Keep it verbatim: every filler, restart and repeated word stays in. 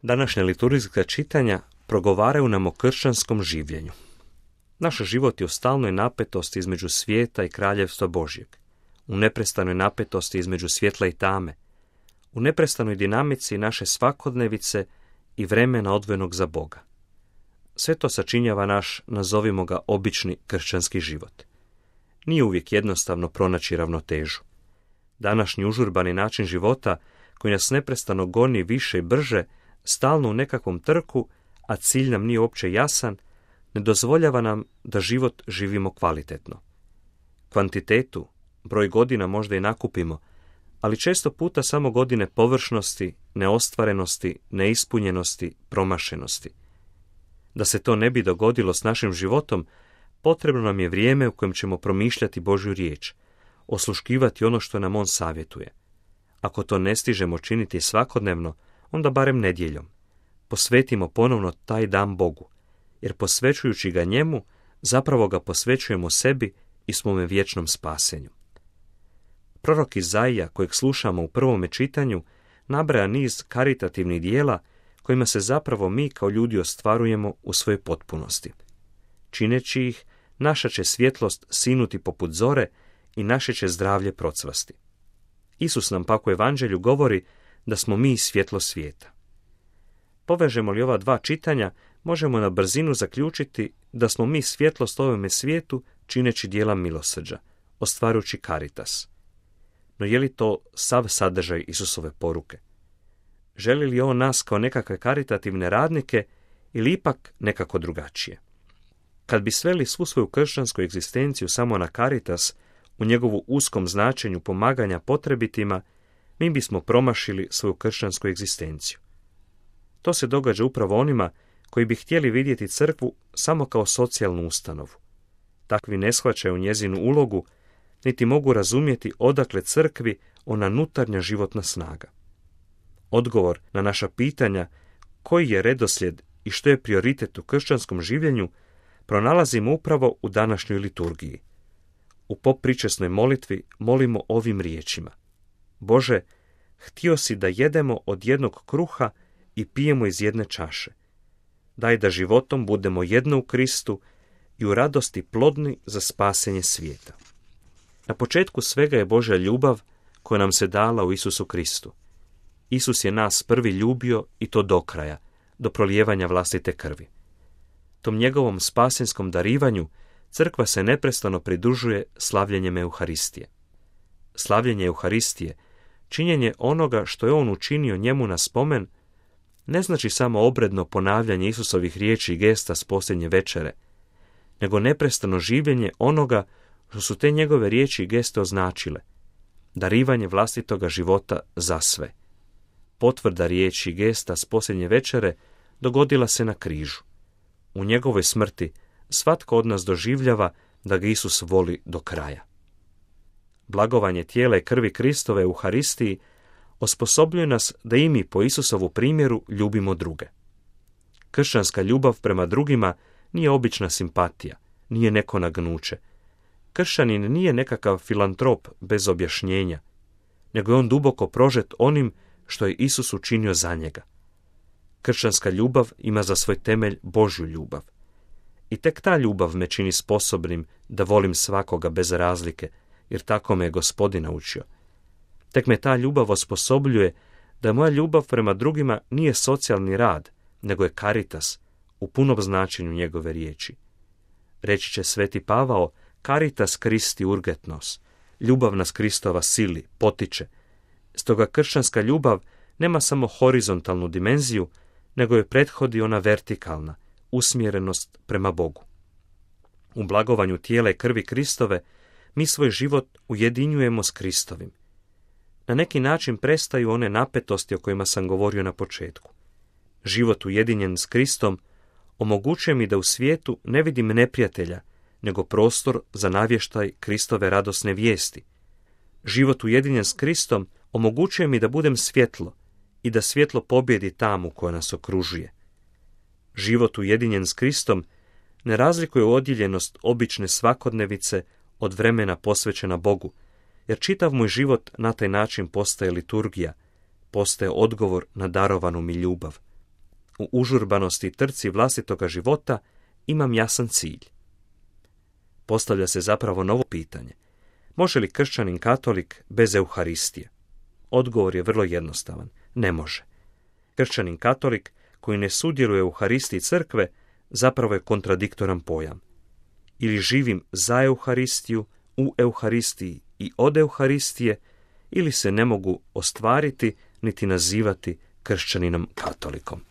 Današnja liturgijska čitanja progovaraju nam o kršćanskom življenju. Naš život je u stalnoj napetosti između svijeta i kraljevstva Božjeg, u neprestanoj napetosti između svjetla i tame, u neprestanoj dinamici naše svakodnevice i vremena odvojenog za Boga. Sve to sačinjava naš, nazovimo ga, obični kršćanski život. Nije uvijek jednostavno pronaći ravnotežu. Današnji užurbani način života, koji nas neprestano goni više i brže, stalno u nekakvom trku, a cilj nam nije uopće jasan, ne dozvoljava nam da život živimo kvalitetno. Kvantitetu, broj godina možda i nakupimo, ali često puta samo godine površnosti, neostvarenosti, neispunjenosti, promašenosti. Da se to ne bi dogodilo s našim životom, potrebno nam je vrijeme u kojem ćemo promišljati Božju riječ, osluškivati ono što nam On savjetuje. Ako to ne stižemo činiti svakodnevno, onda barem nedjeljom. Posvetimo ponovno taj dan Bogu, jer posvećujući ga njemu, zapravo ga posvećujemo sebi i svome vječnom spasenju. Prorok Izaija, kojeg slušamo u prvome čitanju, nabraja niz karitativnih dijela kojima se zapravo mi kao ljudi ostvarujemo u svojoj potpunosti. Čineći ih, naša će svjetlost sinuti poput zore i naše će zdravlje procvasti. Isus nam pak u evanđelju govori da smo mi svjetlo svijeta. Povežemo li ova dva čitanja, možemo na brzinu zaključiti da smo mi svjetlost ovome svijetu čineći djela milosrđa, ostvarujući caritas. No je li to sav sadržaj Isusove poruke? Želi li on nas kao nekakve karitativne radnike ili ipak nekako drugačije? Kad bi sveli svu svoju kršćansku egzistenciju samo na caritas, u njegovu uskom značenju pomaganja potrebitima, mi bismo promašili svoju kršćansku egzistenciju. To se događa upravo onima koji bi htjeli vidjeti crkvu samo kao socijalnu ustanovu. Takvi ne shvaćaju njezinu ulogu, niti mogu razumjeti odakle crkvi ona nutarnja životna snaga. Odgovor na naša pitanja koji je redoslijed i što je prioritet u kršćanskom življenju pronalazimo upravo u današnjoj liturgiji. U popričesnoj molitvi molimo ovim riječima: Bože, htio si da jedemo od jednog kruha i pijemo iz jedne čaše. Daj da životom budemo jedno u Kristu i u radosti plodni za spasenje svijeta. Na početku svega je Božja ljubav koja nam se dala u Isusu Kristu. Isus je nas prvi ljubio i to do kraja, do prolijevanja vlastite krvi. Tom njegovom spasenskom darivanju crkva se neprestano pridružuje slavljenjem Euharistije. Slavljenje Euharistije, činjenje onoga što je on učinio njemu na spomen, ne znači samo obredno ponavljanje Isusovih riječi i gesta s posljednje večere, nego neprestano življenje onoga što su te njegove riječi i geste označile, darivanje vlastitoga života za sve. Potvrda riječi i gesta s posljednje večere dogodila se na križu. U njegovoj smrti svatko od nas doživljava da ga Isus voli do kraja. Blagovanje tijela i krvi Kristove u Euharistiji osposobljuje nas da i mi po Isusovu primjeru ljubimo druge. Kršćanska ljubav prema drugima nije obična simpatija, nije neko nagnuće. Kršćanin nije nekakav filantrop bez objašnjenja, nego je on duboko prožet onim što je Isus učinio za njega. Kršćanska ljubav ima za svoj temelj Božju ljubav. I tek ta ljubav me čini sposobnim da volim svakoga bez razlike, jer tako me je Gospodin naučio. Tek me ta ljubav osposobljuje da moja ljubav prema drugima nije socijalni rad, nego je caritas, u punom značenju njegove riječi. Reći će sveti Pavao, caritas Christi urget nos, ljubav nas Kristova sili, potiče. Stoga kršćanska ljubav nema samo horizontalnu dimenziju, nego je prethodi ona vertikalna, usmjerenost prema Bogu. U blagovanju tijela i krvi Kristove mi svoj život ujedinjujemo s Kristovim. Na neki način prestaju one napetosti o kojima sam govorio na početku. Život ujedinjen s Kristom omogućuje mi da u svijetu ne vidim neprijatelja, nego prostor za navještaj Kristove radosne vijesti. Život ujedinjen s Kristom omogućuje mi da budem svjetlo i da svjetlo pobjedi tamu koja nas okružuje. Život ujedinjen s Kristom ne razlikuje odjeljenost obične svakodnevice od vremena posvećena Bogu, jer čitav moj život na taj način postaje liturgija, postaje odgovor na darovanu mi ljubav. U užurbanosti i trci vlastitoga života imam jasan cilj. Postavlja se zapravo novo pitanje. Može li kršćanin katolik bez Euharistije? Odgovor je vrlo jednostavan. Ne može. Kršćanin katolik koji ne sudjeluje u Euharistiji crkve zapravo je kontradiktoran pojam. Ili živim za Euharistiju, u Euharistiji i od Euharistije, ili se ne mogu ostvariti niti nazivati kršćaninom katolikom.